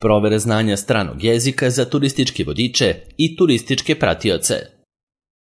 provere znanja stranog jezika za turističke vodiče i turističke pratioce.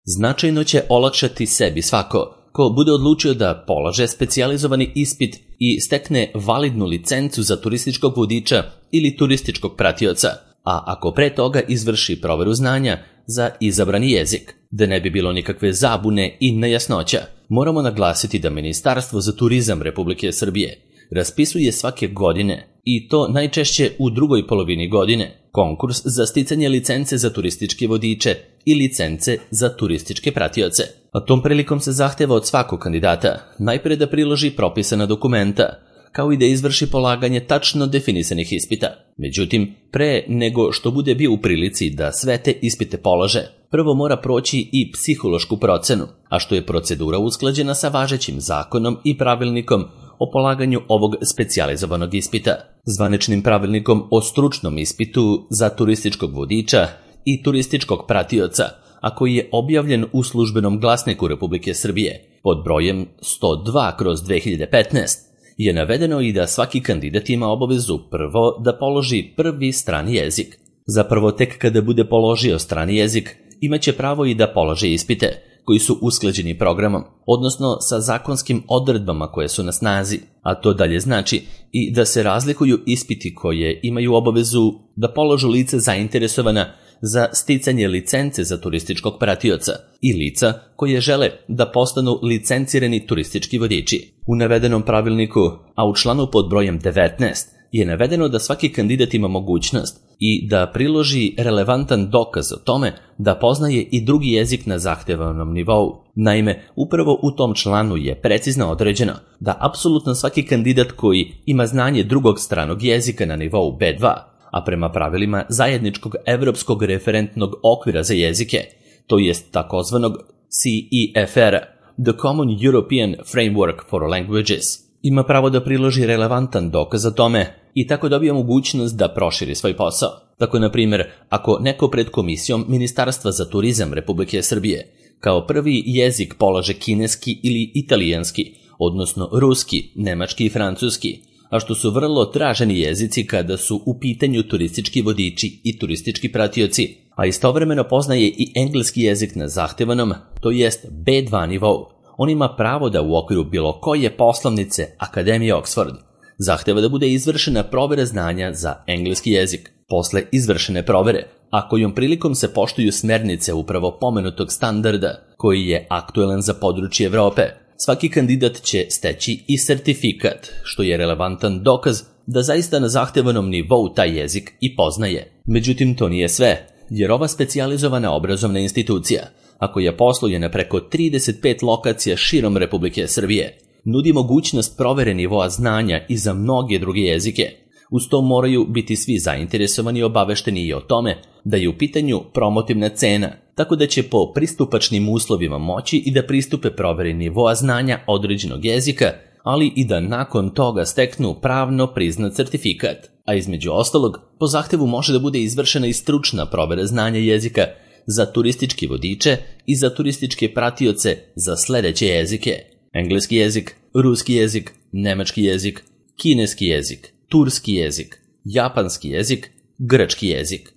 Značajno će olakšati sebi svako ko bude odlučio da polaže specijalizovani ispit i stekne validnu licencu za turističkog vodiča ili turističkog pratioca, a ako pre toga izvrši proveru znanja za izabrani jezik. Da ne bi bilo nikakve zabune i nejasnoća, moramo naglasiti da Ministarstvo za turizam Republike Srbije raspisuje svake godine, i to najčešće u drugoj polovini godine, konkurs za sticanje licence za turističke vodiče i licence za turističke pratioce. A tom prilikom se zahteva od svakog kandidata najpre da priloži propisana dokumenta, kao i da izvrši polaganje tačno definisanih ispita. Međutim, pre nego što bude bio u prilici da sve te ispite polaže, prvo mora proći i psihološku procenu, a što je procedura usklađena sa važećim zakonom i pravilnikom o polaganju ovog specijalizovanog ispita, zvaničnim pravilnikom o stručnom ispitu za turističkog vodiča i turističkog pratioca, a koji je objavljen u Službenom glasniku Republike Srbije pod brojem 102/2015, je navedeno i da svaki kandidat ima obavezu prvo da položi prvi strani jezik. Zapravo tek kada bude položio strani jezik, imaće pravo i da položi ispite, koji su usklađeni programom, odnosno sa zakonskim odredbama koje su na snazi, a to dalje znači i da se razlikuju ispiti koje imaju obavezu da položu lice zainteresovana za sticanje licence za turističkog pratioca i lica koje žele da postanu licencirani turistički vodiči. U navedenom pravilniku, a u članu pod brojem 19, je navedeno da svaki kandidat ima mogućnost i da priloži relevantan dokaz o tome da poznaje i drugi jezik na zahtevanom nivou. Naime, upravo u tom članu je precizno određeno da apsolutno svaki kandidat koji ima znanje drugog stranog jezika na nivou B2, a prema pravilima zajedničkog evropskog referentnog okvira za jezike, to jest takozvanog CEFR, The Common European Framework for Languages, ima pravo da priloži relevantan dokaz o tome i tako dobija mogućnost da proširi svoj posao. Tako, na primjer, ako neko pred komisijom Ministarstva za turizam Republike Srbije kao prvi jezik polaže kineski ili italijanski, odnosno ruski, nemački i francuski, a što su vrlo traženi jezici kada su u pitanju turistički vodiči i turistički pratioci, a istovremeno poznaje i engleski jezik na zahtevanom, to jest B2 nivou, on ima pravo da u okviru bilo koje poslovnice Akademije Oxford zahteva da bude izvršena provera znanja za engleski jezik. Posle izvršene provere, a kojom prilikom se poštuju smernice upravo pomenutog standarda, koji je aktuelan za područje Evrope, svaki kandidat će steći i sertifikat, što je relevantan dokaz da zaista na zahtevanom nivou taj jezik i poznaje. Međutim, to nije sve, jer ova specijalizovana obrazovna institucija, a koja posluje na preko 35 lokacija širom Republike Srbije, nudi mogućnost provere nivoa znanja i za mnoge druge jezike. Uz to moraju biti svi zainteresovani i obavešteni i o tome da je u pitanju promotivna cena, tako da će po pristupačnim uslovima moći i da pristupe proveri nivoa znanja određenog jezika, ali i da nakon toga steknu pravno priznat certifikat. A između ostalog, po zahtevu može da bude izvršena i stručna provera znanja jezika za turistički vodiče i za turističke pratioce za sledeće jezike: engleski jezik, ruski jezik, nemački jezik, kineski jezik, turski jezik, japanski jezik, grčki jezik.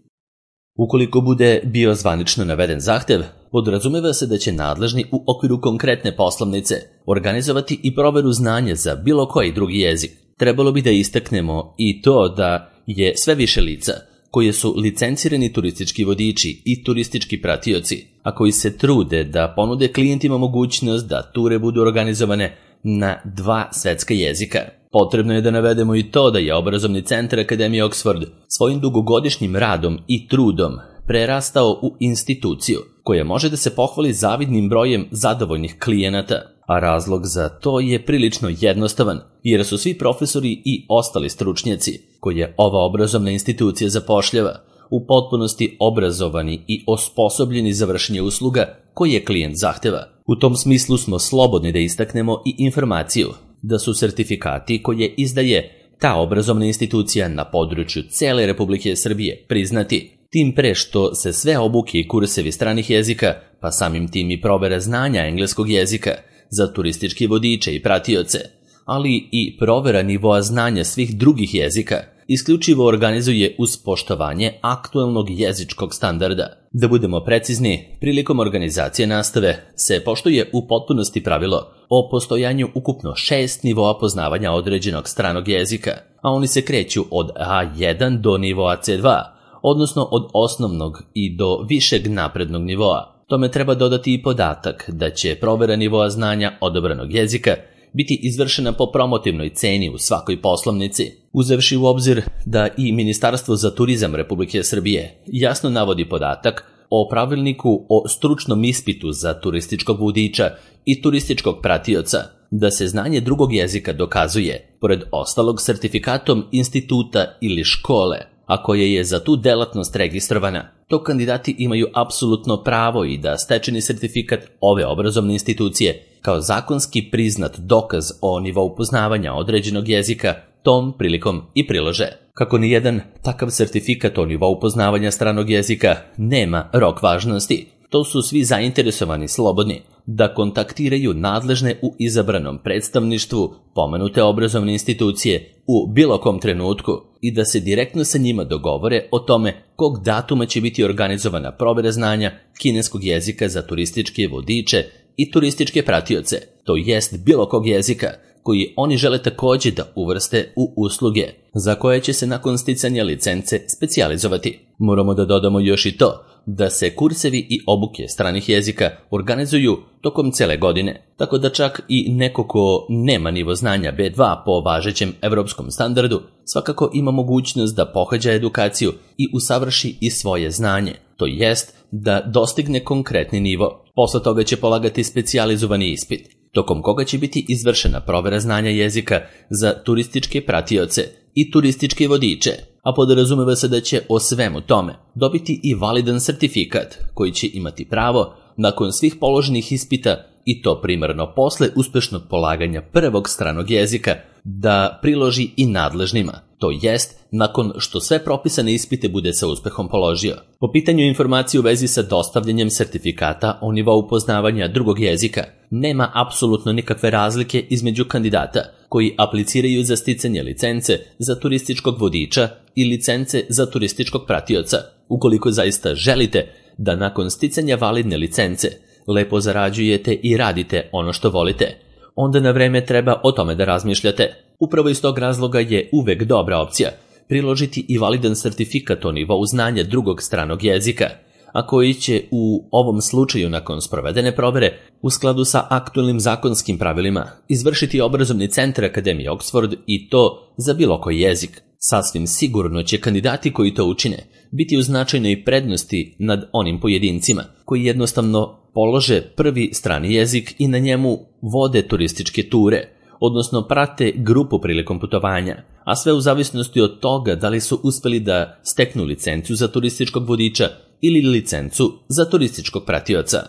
Ukoliko bude bio zvanično naveden zahtev, podrazumeva se da će nadležni u okviru konkretne poslovnice organizovati i proveru znanja za bilo koji drugi jezik. Trebalo bi da istaknemo i to da je sve više lica koje su licencirani turistički vodiči i turistički pratioci, a koji se trude da ponude klijentima mogućnost da ture budu organizovane na 2 svetska jezika. Potrebno je da navedemo i to da je obrazovni centar Akademije Oxford svojim dugogodišnjim radom i trudom prerastao u instituciju koja može da se pohvali zavidnim brojem zadovoljnih klijenata, a razlog za to je prilično jednostavan, jer su svi profesori i ostali stručnjaci koje ova obrazovna institucija zapošljava u potpunosti obrazovani i osposobljeni za vršenje usluga koje klijent zahteva. U tom smislu smo slobodni da istaknemo i informaciju da su sertifikati koje izdaje ta obrazovna institucija na području cele Republike Srbije priznati, tim pre što se sve obuke i kursevi stranih jezika, pa samim tim i provera znanja engleskog jezika za turističke vodiče i pratioce, ali i provera nivoa znanja svih drugih jezika isključivo organizuje uz poštovanje aktuelnog jezičkog standarda. Da budemo precizni, prilikom organizacije nastave se poštuje u potpunosti pravilo o postojanju ukupno 6 nivoa poznavanja određenog stranog jezika, a oni se kreću od A1 do nivoa C2, odnosno od osnovnog i do višeg naprednog nivoa. Tome treba dodati i podatak da će provera nivoa znanja odabranog jezika biti izvršena po promotivnoj ceni u svakoj poslovnici, uzevši u obzir da i Ministarstvo za turizam Republike Srbije jasno navodi podatak o pravilniku o stručnom ispitu za turističkog vodiča i turističkog pratioca, da se znanje drugog jezika dokazuje, pored ostalog, sertifikatom instituta ili škole, a koje je za tu delatnost registrovana. To kandidati imaju apsolutno pravo i da stečeni sertifikat ove obrazovne institucije kao zakonski priznat dokaz o nivou poznavanja određenog jezika tom prilikom i prilože. Kako nijedan takav sertifikat o nivou poznavanja stranog jezika nema rok važnosti, to su svi zainteresovani slobodni da kontaktiraju nadležne u izabranom predstavništvu pomenute obrazovne institucije u bilo kom trenutku i da se direktno sa njima dogovore o tome kog datuma će biti organizovana provera znanja kineskog jezika za turističke vodiče i turističke pratioce, to jest bilo kog jezika koji oni žele također da uvrste u usluge, za koje će se nakon sticanja licence specijalizovati. Moramo da dodamo još i to da se kursevi i obuke stranih jezika organizuju tokom cele godine, tako da čak i neko ko nema nivo znanja B2 po važećem evropskom standardu, svakako ima mogućnost da pohađa edukaciju i usavrši i svoje znanje, to jest da dostigne konkretni nivo. Posle toga će polagati specijalizovani ispit, tokom koga će biti izvršena provera znanja jezika za turističke pratioce i turističke vodiče, a podrazumeva se da će o svemu tome dobiti i validan sertifikat koji će imati pravo nakon svih položenih ispita, i to primarno posle uspešnog polaganja prvog stranog jezika, da priloži i nadležnima, to jest nakon što sve propisane ispite bude sa uspehom položio. Po pitanju informacije u vezi sa dostavljanjem sertifikata o nivou poznavanja drugog jezika, nema apsolutno nikakve razlike između kandidata koji apliciraju za sticanje licence za turističkog vodiča i licence za turističkog pratioca. Ukoliko zaista želite da nakon sticanja validne licence lepo zarađujete i radite ono što volite, onda na vreme treba o tome da razmišljate. Upravo iz tog razloga je uvek dobra opcija priložiti i validan sertifikat o nivou znanja drugog stranog jezika, a koji će u ovom slučaju nakon sprovedene provere u skladu sa aktualnim zakonskim pravilima izvršiti obrazovni centar Akademije Oxford, i to za bilo koji jezik. Sasvim sigurno će kandidati koji to učine biti u značajnoj prednosti nad onim pojedincima koji jednostavno polože prvi strani jezik i na njemu vode turističke ture, odnosno prate grupu prilikom putovanja, a sve u zavisnosti od toga da li su uspeli da steknu licencu za turističkog vodiča ili licencu za turističkog pratioca.